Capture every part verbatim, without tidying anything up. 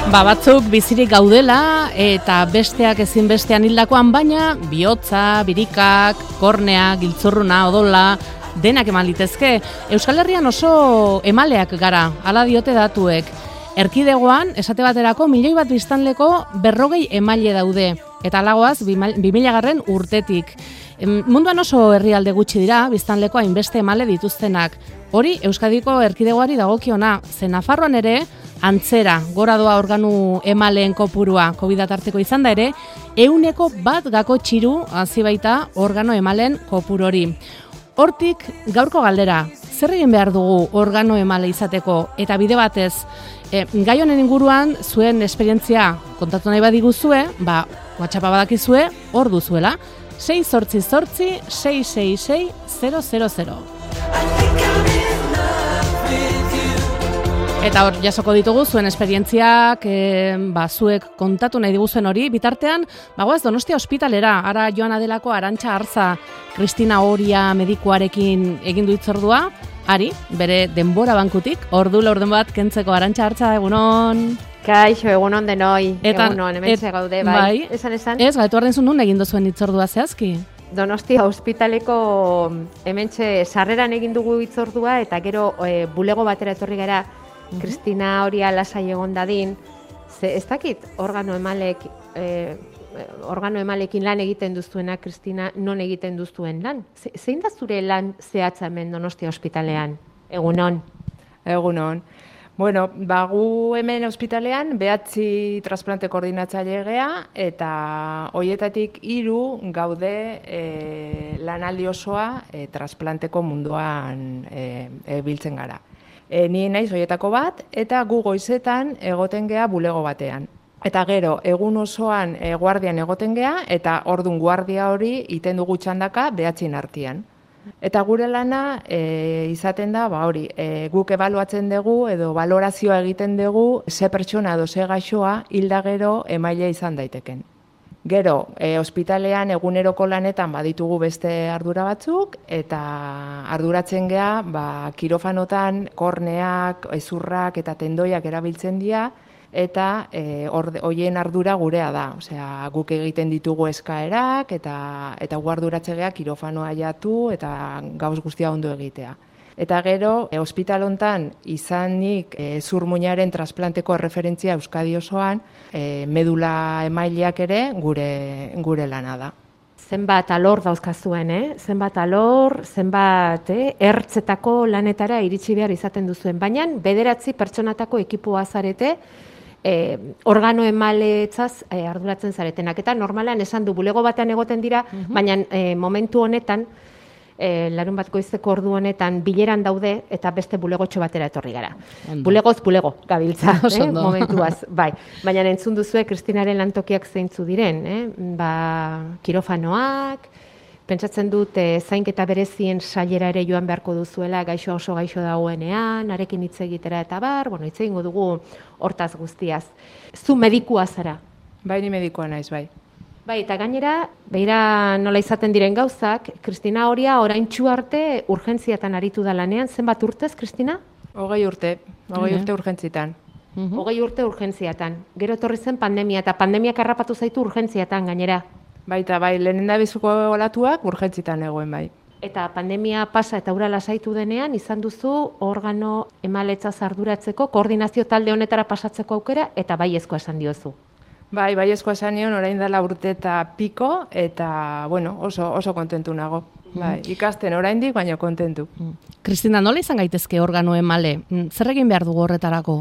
Ba, batzuk bizirik gaudela eta besteak ezin bestean hildakoan, baina bihotza, birikak, kornea, giltzurruna, odola, denak eman litezke. Euskal Herrian oso emaleak gara, hala diote datuek. Erkidegoan, esate baterako, milioi bat biztanleko berrogei emaile daude. Eta alagoaz, bi mila garren urtetik. Munduan oso herrialde gutxi dira, biztanleko hainbeste emale dituztenak. Hori, Euskadiko erkidegoari dagokiona, ze Nafarroan ere, antzera, gora doa organu emaleen kopurua COVID tarteko izan da ere, euneko bat gako txiru hazi baita organo emalen kopuru hori. Hortik, gaurko galdera, zer egin behar dugu organo emale izateko eta bide batez, e, gai honen inguruan zuen esperientzia kontatu nahi badiguzue, ba, WhatsAppa badakizue, hor duzuela, sei zortzi zortzi, sei sei sei, zero zero zero. Eta hor, jasoko ditugu zuen esperientziak, e, ba, zuek kontatu nahi diguzuen hori, bitartean, bagoaz Donostia ospitalera, ara joan adelako Arantxa Arza, Kristina Oria medikuarekin egin du hitzordua, ari, bere denbora bankutik, ordu laurden bat kentzeko. Arantxa Arza, egunon. Kaixo, egunon denoi, eta, egunon, hemen et, gaude, bai. bai. Esan, esan? Ez, gaitu arren zuen nun egin duzuen hitzordua zehazki? Donostia ospitaleko hementxe sarreran egin dugu hitzordua, eta gero e, bulego batera etorri gara, Kristina Oria lasai egon dadin, ze ez dakit organo emalek, e, organo emalekin lan egiten duztuena, Kristina, non egiten duztuen lan? Ze, zein da zure lan zehatza hemen Donostia ospitalean? Egunon? Egunon. Bueno, ba, gu hemen ospitalean behatzi transplante koordinatzaile gea, eta hoietatik hiru gaude e, lanaldi osoa e, transplanteko munduan e, e, biltzen gara. E, ni naiz hoietako bat, eta gu goizetan egoten gea bulego batean. Eta gero, egun osoan e, guardian egoten gea, eta ordun guardia hori iten dugu txandaka behatzin artean. Eta gure lana e, izaten da, ba hori, e, guk ebaluatzen dugu edo balorazioa egiten dugu ze pertsona edo ze gaixoa hilda gero emaile izan daiteken. Gero, e, ospitalean eguneroko lanetan baditugu beste ardura batzuk, eta arduratzen gea, ba, kirofanotan korneak, ezurrak eta tendoiak erabiltzen dira, eta e, hoien ardura gurea da. Osea, guk egiten ditugu eskaerak, eta eta gu arduratze gea kirofanoa jatu, eta gauz guztia ondo egitea. Eta gero, e, ospital hontan izanik e, zurmuinaren transplanteko referentzia Euskadi osoan, e, medula emaileak ere gure, gure lana da. Zenbat alor dauzkazuen, eh? Zenbat alor, zenbat eh? ertzetako lanetara iritsi behar izaten duzuen. Baina bederatzi pertsonatako ekipua zarete, eh, organo emaletzaz eh, arduratzen zaretenak. Eta normalan esan du bulego batean egoten dira, uh-huh. baina eh, momentu honetan, E, larun bat goizeko ordu honetan bileran daude eta beste bulegotxo batera etorri gara. Ondo. Bulegoz bulego gabiltza, eh? momentuaz. Bai. Baina entzun duzue Kristinaren lantokiak zeintzu diren. Eh? Ba, kirofanoak, pentsatzen dut e, zainketa berezien sailera ere joan beharko duzuela gaixo oso gaixo dagoenean, arekin hitz egitera eta bar, bueno, hitz egingo dugu hortaz guztiaz. Zu medikua zara? Bai, ni medikua naiz, bai. Bai, eta gainera, behira nola izaten diren gauzak, Kristina Oria oraintsu arte urgentziatan aritu da lanean. Zenbat urtez, Kristina? Hogei urte, hogei urte urgentziatan. Hogei urte urgentziatan. Gero etorri zen pandemia, eta pandemiak harrapatu zaitu urgentziatan gainera. Baita, bai, lehenen da bizuko olatuak urgentzitan egoen, bai. Eta pandemia pasa eta ura lasaitu denean, izan duzu organo emaletzaz arduratzeko, koordinazio talde honetara pasatzeko aukera, eta baiezkoa esan diozu. Bai, baiezkoa esan nion, orain dela urte eta piko, eta, bueno, oso, oso kontentu nago. Bai, ikasten oraindik, baina kontentu. Kristina, nola izan gaitezke organo emale? Zer egin behar dugu horretarako?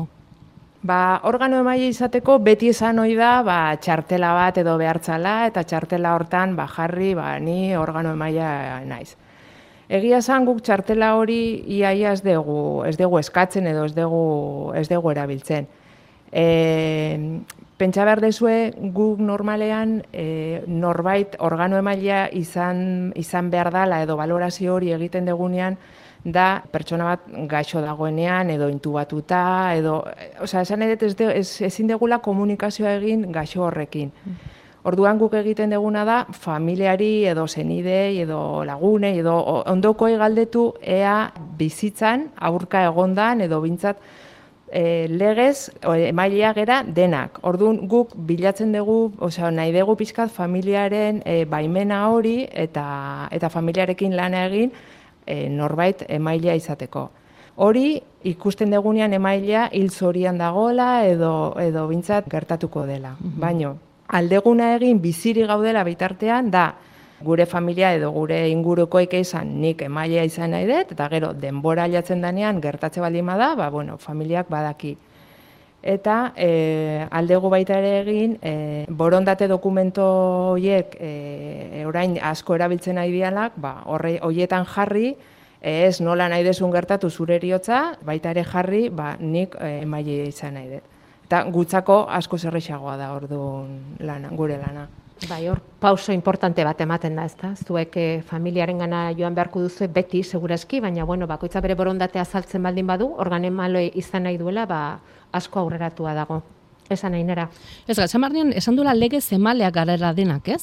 Ba, organo emaile izateko beti esan ohi da, ba, txartela bat edo behartzala, eta txartela hortan, ba, jarri, ba, ni organo emailea naiz. Egia esan guk txartela hori iaia ez dugu, ez dugu eskatzen edo ez dugu, ez dugu erabiltzen. E, pentsa behar dezue, guk normalean e, norbait organo emailea izan, izan behar dala edo balorazio hori egiten degunean da pertsona bat gaixo dagoenean edo intubatuta edo, osea, esan edet ez de, ez, ezin degula komunikazioa egin gaixo horrekin. Orduan guk egiten deguna da familiari edo senidei edo lagunei edo ondokoei galdetu ea bizitzan aurka egondan edo bintzat e, legez emailea gera denak. Orduan guk bilatzen dugu, osea, nahi dugu pixkat familiaren e, baimena hori eta eta familiarekin lana egin e, norbait emailea izateko. Hori ikusten dugunean emailea hil zorian dagoela edo edo bintzat gertatuko dela. Mm-hmm. Baino aldeguna egin biziri gaudela bitartean da gure familia edo gure ingurukoik izan nik emailea izan nahi dut, eta gero denbora aldatzen danean gertatze baldin bada, ba, bueno, familiak badaki. Eta e, aldegu baita ere egin, e, borondate dokumento horiek e, orain asko erabiltzen nahi dialak, ba, horre, horietan jarri, ez nola nahi desun gertatu zure eriotza, baita ere jarri, ba, nik e, emailea izan nahi dut. Eta gutzako asko zerrexagoa da orduan lana, gure lana. Bai, hor pauso importante bat ematen da, ezta? Zuek eh, familiarengana joan beharko duzu beti segurazki, baina bueno, bakoitza bere borondatea azaltzen baldin badu, organo emale izan nahi duela, ba asko aurreratua dago. Esan nahi nera. Ez, Gatxamarnean, esan duela legez emaleak garela denak, ez?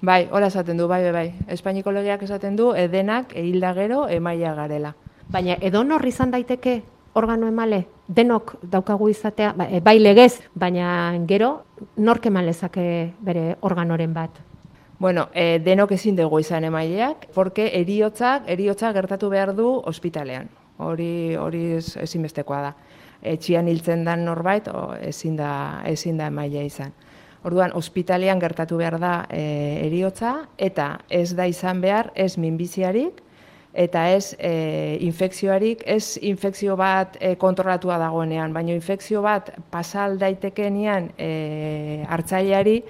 Bai, hola esaten du, bai, bai, bai. Espainiko legeak esaten du, edenak, ehilda gero, emaia garela. Baina edonor izan daiteke organo emale, denok daukagu izatea, bai legez, baina gero, nork eman lezake bere organoren bat? Bueno, e, denok ezin dugu izan emaileak, porque eriotzak, eriotzak gertatu behar du ospitalean. Hori hori ezinbestekoa da. Etxian hiltzen dan norbait, o, ezin da, ezin da emailea izan. Orduan, ospitalean gertatu behar da e, eriotza, eta ez da izan behar, ez minbiziarik, eta ez e, infekzioarik, ez infekzio bat e, kontrolatua dagoenean, baina infekzio bat pasal daitekenean e, hartzaileari,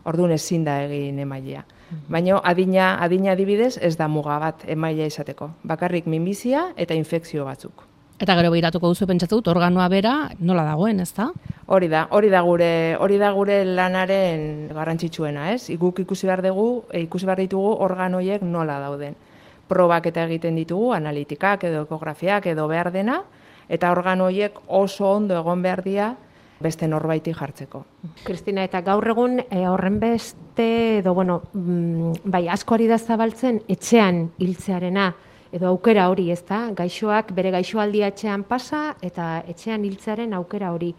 orduan ezin da egin emailea. Baina adina, adina adibidez ez da muga bat emailea izateko. Bakarrik minbizia eta infekzio batzuk. Eta gero behiratuko duzu pentsatu dut organoa bera nola dagoen, ezta? Hori da, hori da gure, hori da gure lanaren garrantzitsuena, ez? Guk ikusi behar dugu, ikusi behar ditugu organoiek nola dauden. Probak eta egiten ditugu, analitikak edo ekografiak edo behar dena, eta organo horiek oso ondo egon behar dira beste norbaiti jartzeko. Kristina, eta gaur egun e, horren beste, edo bueno, mm, bai asko ari da zabaltzen etxean hiltzearena, edo aukera hori, ezta? Gaixoak bere gaixoaldia etxean pasa eta etxean hiltzearen aukera hori.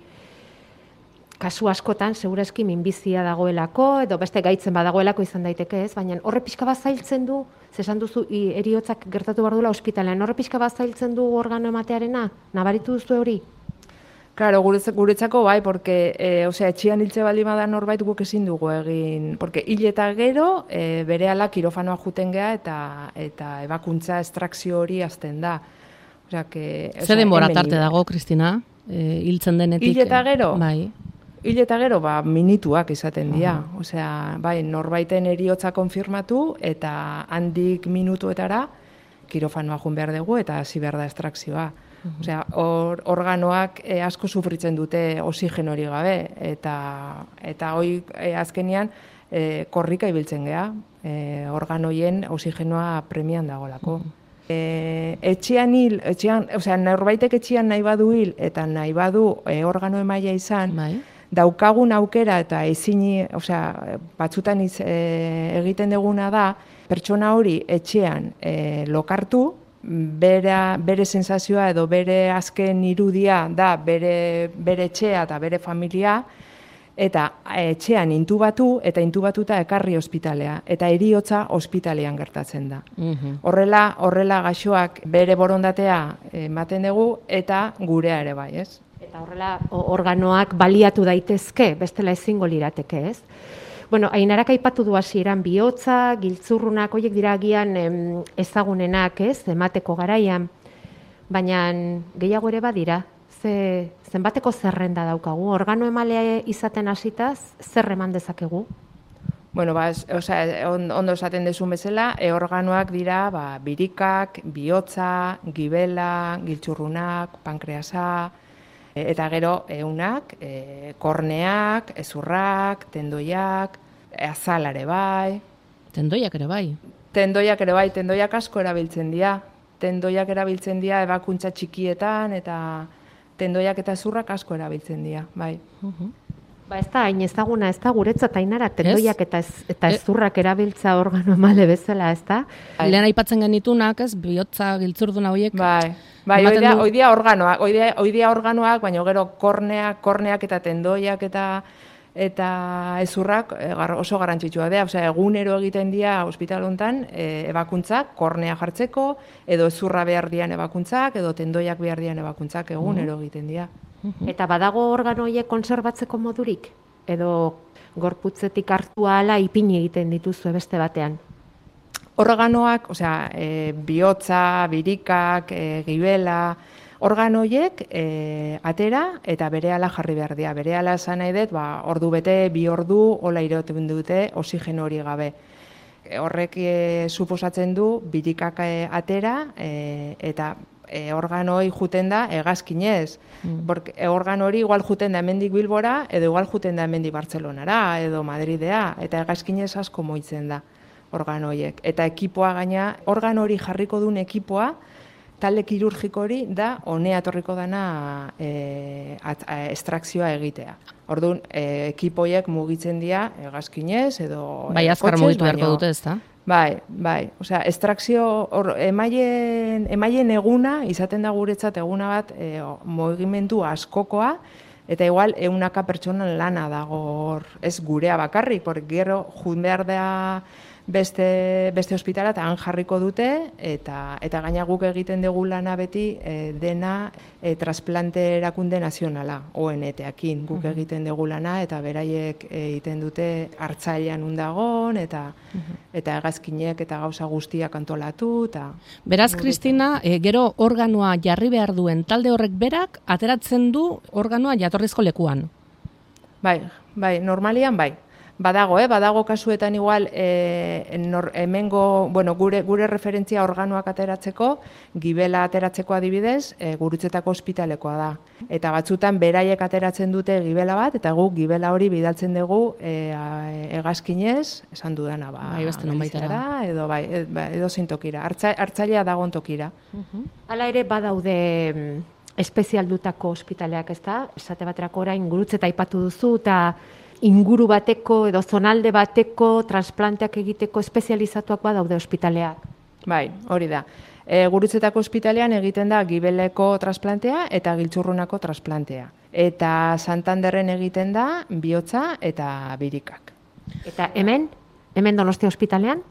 Kasu askotan, segurazki minbizia dagoelako, edo beste gaitzen badagoelako izan daiteke ez, baina horre pixka bat zailtzen du, zesan duzu eriotzak gertatu behar duela ospitalean, horre pixka bat zailtzen du organo ematearena, nabaritu duzu hori? Claro, guretzako bai, porque, e, osea, etxian hiltze baldin bada norbait guk ezin dugu egin, porque hil eta gero e, berehala kirofanoa juten gea eta eta ebakuntza estrakzio hori azten da. Osea, que, Ze denbora tarte dago, Kristina, e, hiltzen denetik? Hil eta gero? Bai. Hil eta gero, ba, minutuak izaten dira. Uh-huh. Osea, bai, norbaiten eriotza konfirmatu eta handik minutuetara kirofanoa jun behar dugu eta hasi behar da estrakzioa. Uh-huh. Osea, or, organoak e, asko sufritzen dute oxigeno hori gabe eta eta hoi e, azkenean e, korrika ibiltzen gea, e, organoien oxigenoa premian dagolako. Uh-huh. E, etxean hil, etxean, osea, norbaitek etxean nahi badu hil eta nahi badu e, organo emaia izan, bai. Daukagun aukera eta ezini, osea, batzutan iz, e, egiten duguna da, pertsona hori etxean e, lokartu, bere, bere sensazioa edo bere azken irudia da bere, bere etxea eta bere familia, eta etxean intubatu eta intubatuta ekarri ospitalea, eta eriotza ospitalean gertatzen da. Uh-huh. Horrela, horrela gaixoak bere borondatea ematen dugu eta gurea ere bai, ez? Eta horrela organoak baliatu daitezke, bestela ezingo lirateke, ez? Bueno, Ainarak aipatu du hasieran bihotza, giltzurrunak, horiek dira agian em, ezagunenak, ez? Emateko garaian, baina gehiago ere badira. Ze, zenbateko zerrenda daukagu? Organo emale izaten hasitaz, zer eman dezakegu? Bueno, ba, osea, ondo esaten dezun bezala, e, organoak dira ba, birikak, bihotza, gibela, giltzurrunak, pankreasa, eta gero eunak, e, korneak, ezurrak, tendoiak, azalare bai. Tendoiak ere bai? Tendoiak ere bai, tendoiak asko erabiltzen dira. Tendoiak erabiltzen dira ebakuntza txikietan eta tendoiak eta ezurrak asko erabiltzen dira, bai. Uh-huh. Ba, ez da, hain ezaguna, ez da, guretzat ainara, tendoiak eta, ez, eta ezurrak erabiltza organo emale bezala, ez da? Lehen aipatzen genitunak, ez, bihotza, giltzurduna horiek. Bai, bai, oidea, du... oidea organoak, oidea, oidea organoak, baina gero korneak, korneak eta tendoiak eta eta ezurrak oso garrantzitsua da, osea, egunero egiten dira ospital hontan e, ebakuntzak, kornea jartzeko, edo ezurra behar dian ebakuntzak, edo tendoiak behar dian ebakuntzak egunero egiten dira. Eta badago organo horiek konserbatzeko modurik? Edo gorputzetik hartu ahala ipini egiten dituzu beste batean? Organoak, osea, e, bihotza, birikak, e, gibela, organo horiek e, atera eta berehala jarri behar dira. Berehala esan nahi dut, ba, ordu bete, bi ordu, hola irauten dute, oxigeno hori gabe. E, horrek e, suposatzen du, birikak e, atera e, eta E, organo hori juten da hegazkinez. Mm. Porque organo hori igual juten da hemendik Bilbora, edo igual juten da hemendik Bartzelonara, edo Madridea, eta hegazkinez asko moitzen da organo horiek. Eta ekipoa gaina, organo hori jarriko duen ekipoa, talde kirurgiko hori da honea etorriko dana e, at, a, estrakzioa egitea. Orduan, e, ekipoiek mugitzen dira hegazkinez, edo bai, azkar mugitu beharko dute, ez da? Bai, bai, osea, estrakzio, or, emaien, emaien eguna, izaten da guretzat eguna bat, e, mugimendu askokoa, eta igual eunaka pertsonan lana dago hor, ez gurea bakarrik, porque gero jun behar da beste, beste ospitala, eta han jarriko dute, eta, eta gaina guk egiten dugu lana beti e, dena e, trasplante erakunde nazionala, O N T-akin guk uh-huh. egiten dugu lana, eta beraiek egiten dute hartzailean undagon, eta uh-huh. eta hegazkinek eta gauza guztiak antolatu. Eta beraz, Kristina, e, gero organoa jarri behar duen talde horrek berak, ateratzen du organoa jatorrizko lekuan. Bai, bai, normalian bai. Badago, eh? Badago kasuetan igual e, nor, hemengo, bueno, gure, gure referentzia organoak ateratzeko, gibela ateratzeko adibidez, e, Gurutzetako ospitalekoa da. Eta batzutan beraiek ateratzen dute gibela bat, eta guk gibela hori bidaltzen dugu e, hegazkinez, esan dudana, ba, bai, beste nonbaitara, edo, bai, edo zein tokira, hartzailea dagoen tokira. Uh-huh. Hala ere badaude espezialdutako ospitaleak, ez da? Esate baterako orain Gurutzeta aipatu duzu, eta inguru bateko edo zonalde bateko transplanteak egiteko espezializatuak badaude ospitaleak. Bai, hori da. E, Gurutzetako ospitalean egiten da gibeleko transplantea eta giltzurrunako transplantea. Eta Santanderren egiten da bihotza eta birikak. Eta hemen? Hemen Donostia ospitalean?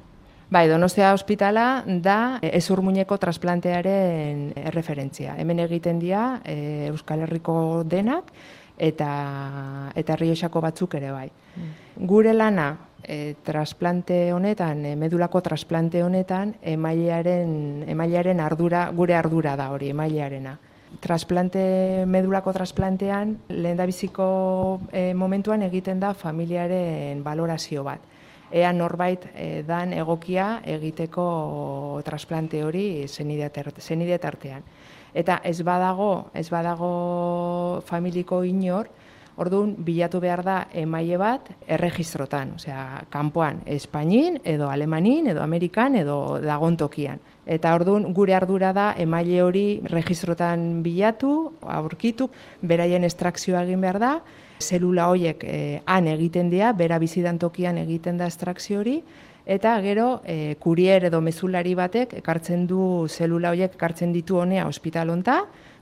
Bai, Donostia ospitala da ezurmuineko transplantearen erreferentzia. Hemen egiten dira e, Euskal Herriko denak, eta eta Errioxako batzuk ere bai. Mm. Gure lana e, trasplante honetan, e, medulako trasplante honetan, emailearen emailearen ardura, gure ardura da hori, emailearena. Trasplante medulako trasplantean lehendabiziko e, momentuan egiten da familiaren balorazio bat. Ea norbait e, dan egokia egiteko trasplante hori zenide tartean. Eta ez badago, ez badago familiko inor, orduan bilatu behar da emaile bat erregistrotan, osea, kanpoan, Espainin, edo Alemanin, edo Amerikan, edo dagon tokian. Eta orduan gure ardura da emaile hori registrotan bilatu, aurkitu, beraien estrakzioa egin behar da, zelula horiek eh, han egiten dira, bera bizidan tokian egiten da estrakzio hori, eta gero e, kurier edo mezulari batek ekartzen du zelula horiek ekartzen ditu honea ospital honta,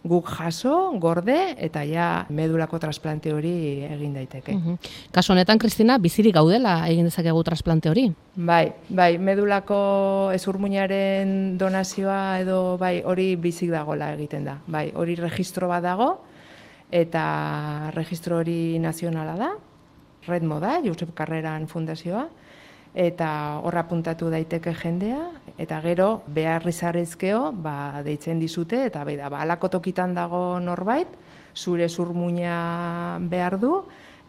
guk jaso, gorde, eta ja medulako trasplante hori egin daiteke. Uh-huh. Kasu honetan, Kristina, bizirik gaudela egin dezakegu trasplante hori? Bai, bai, medulako ezurmuinaren donazioa edo bai hori bizik dagola egiten da. Bai, hori registro bat dago, eta registro hori nazionala da, Redmo da, Josep Carreran fundazioa, eta horra puntatu daiteke jendea, eta gero behar izarrizkeo, ba, deitzen dizute, eta bai da, ba, alako tokitan dago norbait, zure zurmuina behar du,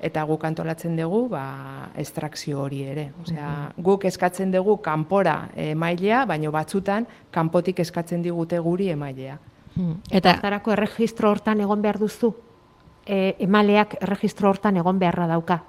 eta guk antolatzen dugu ba, estrakzio hori ere. Osea, guk eskatzen dugu kanpora emailea, baina batzutan kanpotik eskatzen digute guri emailea. Eta hartarako erregistro hortan egon behar duzu? E, emaleak erregistro hortan egon beharra dauka?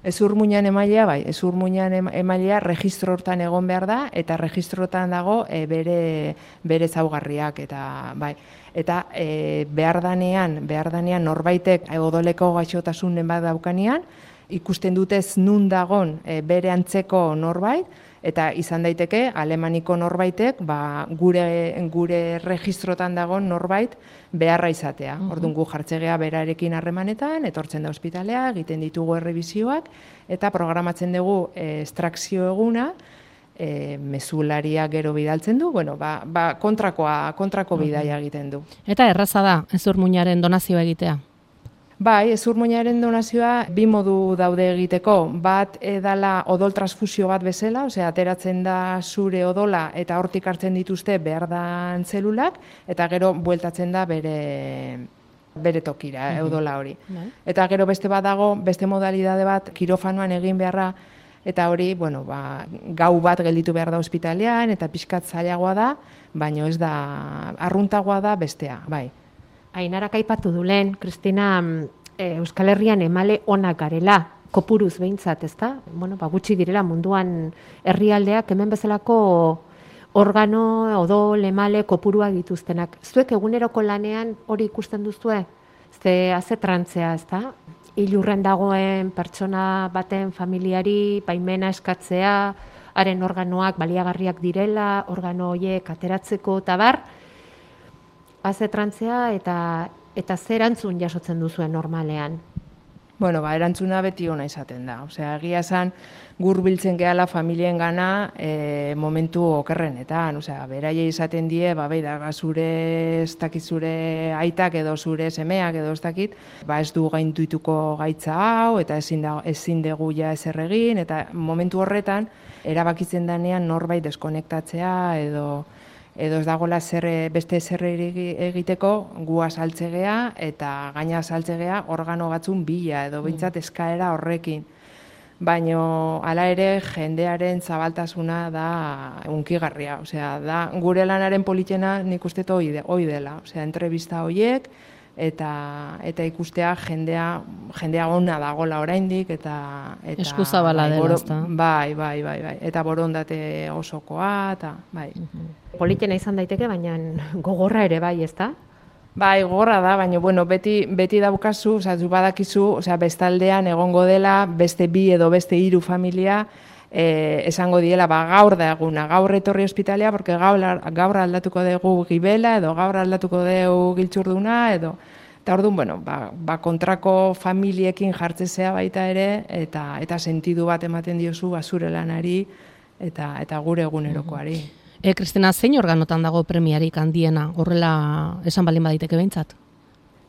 Ezur muinan emailea, bai, ezur muinan emailea registro hortan egon behar da, eta registrotan dago e, bere, bere zaugarriak, eta bai. Eta e, behar danean, behar danean norbaitek odoleko gaixotasunen bat daukanean, ikusten dutez nun dagon e, bere antzeko norbait, eta izan daiteke alemaniko norbaitek ba, gure, gure registrotan dagoen norbait beharra izatea. Uh-huh. Orduan gu jartzegea berarekin harremanetan, etortzen da ospitalea, egiten ditugu errebizioak, eta programatzen dugu e, estrakzio eguna, e, mezularia gero bidaltzen du, bueno, ba, ba, kontrakoa, kontrako uh-huh. bidaia egiten du. Eta erraza da, ezurmuinaren donazioa egitea? Bai, ezurmuinaren donazioa bi modu daude egiteko. Bat edala odol transfusio bat bezala, osea, ateratzen da zure odola eta hortik hartzen dituzte behar dan zelulak, eta gero bueltatzen da bere, bere tokira, mm-hmm. odola hori. Mm-hmm. Eta gero beste bat dago, beste modalidade bat, kirofanoan egin beharra, eta hori, bueno, ba, gau bat gelditu behar da ospitalean, eta pixkat zailagoa da, baina ez da, arruntagoa da bestea, bai. Ainarak aipatu du lehen, Kristina, Euskal Herrian emale onak garela, kopuruz behintzat, ezta? Bueno, ba, gutxi direla munduan herrialdeak hemen bezalako organo, odol, emale, kopurua dituztenak. Zuek eguneroko lanean hori ikusten duzue? Ze haze trantzea, ezta? Ilurren dagoen pertsona baten familiari baimena eskatzea, haren organoak baliagarriak direla, organo horiek ateratzeko eta bar, haze trantzea eta eta zer erantzun jasotzen duzuen normalean? Bueno, ba, erantzuna beti ona izaten da. Osea, egia esan gurbiltzen gehala familien gana e, momentu okerrenetan. Osea, beraie izaten die, ba, beida, zure ez dakit zure aitak edo zure semeak edo ez dakit, ba, ez du gainduituko gaitza hau, eta ezin, da, ezin dugu ja ezer egin, eta momentu horretan, erabakitzen danean norbait deskonektatzea edo edo ez dagoela zer, beste zer egiteko gua saltzegea eta gaina saltzegea organo batzun bila edo behintzat eskaera horrekin. Baino hala ere jendearen zabaltasuna da hunkigarria, osea, da gure lanaren politena nik uste hoi dela, osea, entrevista horiek eta eta ikustea jendea jendea ona dagola oraindik eta eta eskuzabala dela, ezta? Bai, bai, bai, bai, eta borondate osokoa eta bai. Politena izan daiteke, baina gogorra ere bai, ezta? Bai, gogorra da, baina bueno, beti beti daukazu, osea, zu badakizu, osea, bestaldean egongo dela beste bi edo beste hiru familia eh, esango diela, ba, gaur da eguna, gaur etorri ospitalea, porque gaur, gaur aldatuko dugu gibela, edo gaur aldatuko dugu giltzurduna, edo, eta orduan, bueno, ba, ba kontrako familiekin jartzezea baita ere, eta eta sentidu bat ematen diozu, ba, zure lanari, eta, eta gure egunerokoari. E, Kristina, zein organotan dago premiarik handiena, horrela esan balin baditeke behintzat?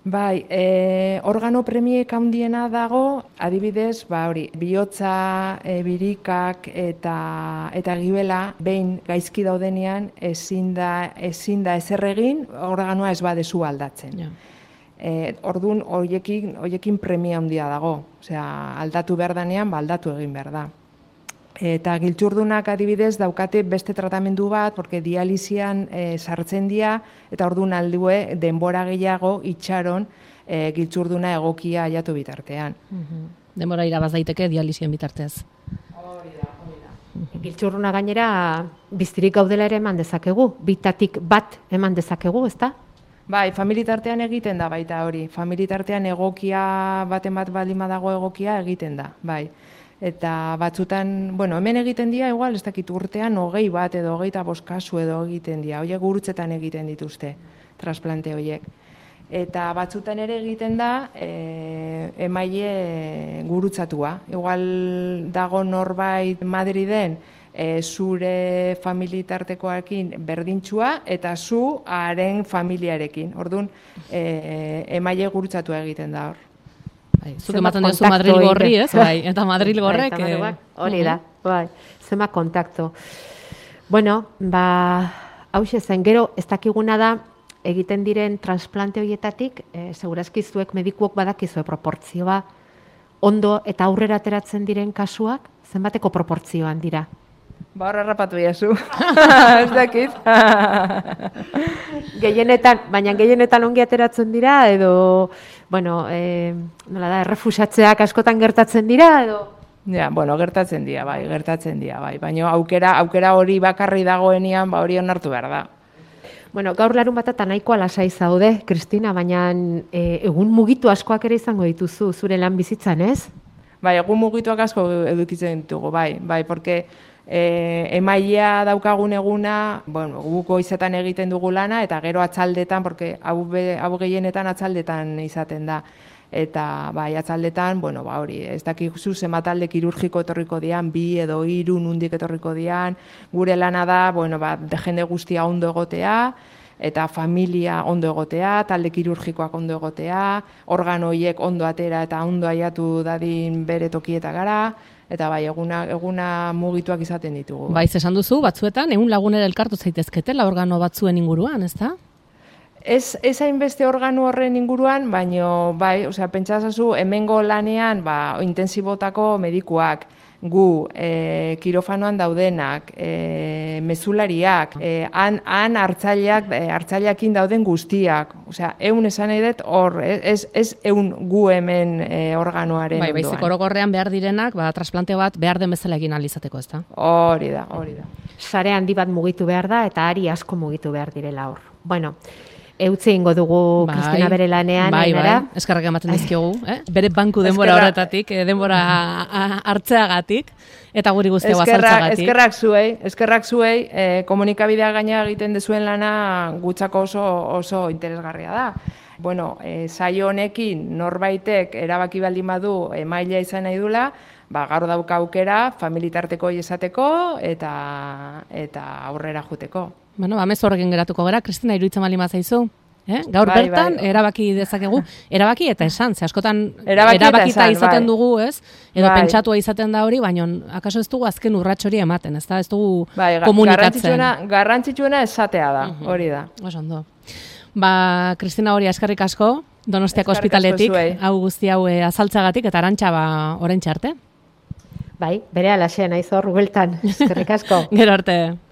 Bai, e, organo premiek handiena dago, adibidez, ba hori, bihotza, e, birikak eta eta gibela behin gaizki daudenean ezin da ezin da ezer egin, organoa ez badezu aldatzen. Ja. E, ordun hoiekin hoiekin premia handia dago. Osea, aldatu behar danean, ba aldatu egin behar da. Eta giltzurdunak adibidez daukate beste tratamendu bat, porque dialisian e, sartzen dira, eta orduan aldue denbora gehiago itxaron e, giltzurduna egokia aiatu bitartean. Uh-huh. Denbora irabaz daiteke dialisien bitarteaz. Hori da, hori da. Uh-huh. Giltzurduna gainera biztirik gaudela ere eman dezakegu, bitatik bat eman dezakegu, ezta? Bai, familitartean egiten da baita hori. Familitartean egokia baten bat baldin badago egokia egiten da, bai. Eta batzutan, bueno, hemen egiten dira, igual, ez dakit urtean hogei bat edo hogeita bost kasu edo egiten dira. Horiek gurutzetan egiten dituzte, transplante horiek. Eta batzutan ere egiten da, e, emaile gurutzatua. Igual dago norbait Madriden, e, zure familitartekoarekin berdintxua, eta zu haren familiarekin. Orduan, e, emaile gurutzatua egiten da hor. Bai, zuk ematen duzu Madrilgo horri, ez? Bai, eta Madrilgo horrek. Hori da, bai, zema kontakto. Bueno, ba, hauxe zen, gero, ez dakiguna da, egiten diren transplante horietatik, e, segurazki zuek medikuok badakizue proportzioa, ondo eta aurrera ateratzen diren kasuak, zenbateko proportzioan dira? Ba, horra rapatu iazu. Ez dakit. Gehienetan, baina gehienetan ongi ateratzen dira, edo, bueno, e, nola da, errefusatzeak askotan gertatzen dira, edo? Ja, bueno, gertatzen dira, bai, gertatzen dira, bai. Baina aukera, aukera hori bakarri dagoenean, ba hori onartu behar da. Bueno, gaur larun batata nahikoa lasai zaude, Kristina, baina e, egun mugitu askoak ere izango dituzu zure lan bizitzan, ez? Bai, egun mugituak asko edukitzen ditugu, bai, bai, porque e, emailea daukagun eguna, bueno, guk goizetan egiten dugu lana, eta gero atzaldetan, porque hau, be, hau gehienetan atzaldetan izaten da. Eta bai, atzaldetan, bueno, ba hori, ez dakizu zenbat talde kirurgiko etorriko dian, bi edo hiru nundik etorriko dian, gure lana da, bueno, ba, jende guztia ondo egotea, eta familia ondo egotea, talde kirurgikoak ondo egotea, organoiek ondo atera eta ondo aiatu dadin bere tokieta gara, eta bai, eguna, eguna mugituak izaten ditugu. Bai, esan duzu, batzuetan, egun lagunera elkartu zaitezketela organo batzuen inguruan, ez da? Ez, ez hainbeste organo horren inguruan, baino, bai, osea, pentsazazu, hemengo lanean, ba, intensibotako medikuak, gu, e, kirofanoan daudenak, e, mezulariak, e, han, han hartzaileak, e, hartzaileakin dauden guztiak, osea, eun esan nahi dut hor, ez, ez eun gu hemen e, organoaren bai, ondoan. Baizik orokorrean behar direnak, ba, transplante bat behar den bezala egin ahal izateko, ez da? Hori da, hori da. Sare handi bat mugitu behar da, eta ari asko mugitu behar direla hor. Bueno, eutzi ingo dugu bai, Kristina bere lanean, bai, ainara. Bai, eskerrak ematen dizkiogu, eh? Bere banku denbora Eskerra, horretatik, eh, denbora hartzeagatik, eta guri guztia azaltzeagatik. Eskerrak zuei, eskerrak zuei, eh, komunikabidea gaina egiten dezuen lana gutzako oso, oso interesgarria da. Bueno, eh, saio honekin norbaitek erabaki baldin badu emailea izan nahi dula, ba, gaur dauka aukera, familitarteko esateko eta, eta aurrera juteko. Bueno, ba, mezu horrekin geratuko gara, Kristina, iruditzen bali mazaizu. Eh? Gaur bai, bertan, bai. erabaki dezakegu, erabaki eta esan, ze askotan erabaki erabakita esan, izaten bai. dugu, ez? Edo bai. pentsatua izaten da hori, baina akaso ez dugu azken urrats hori ematen, ez da? Ez dugu bai, komunikatzen. Garrantzitsuena, garrantzitsuena esatea da, uh-huh. hori da. Oso ondo. Ba, Kristina, hori eskerrik asko, Donostiako ospitaletik, hau guzti hau e, azaltzagatik, eta Arantxa ba, oraintxe arte. Bai, bere alaxea naiz hor, bueltan, eskerrik asko. Gero arte.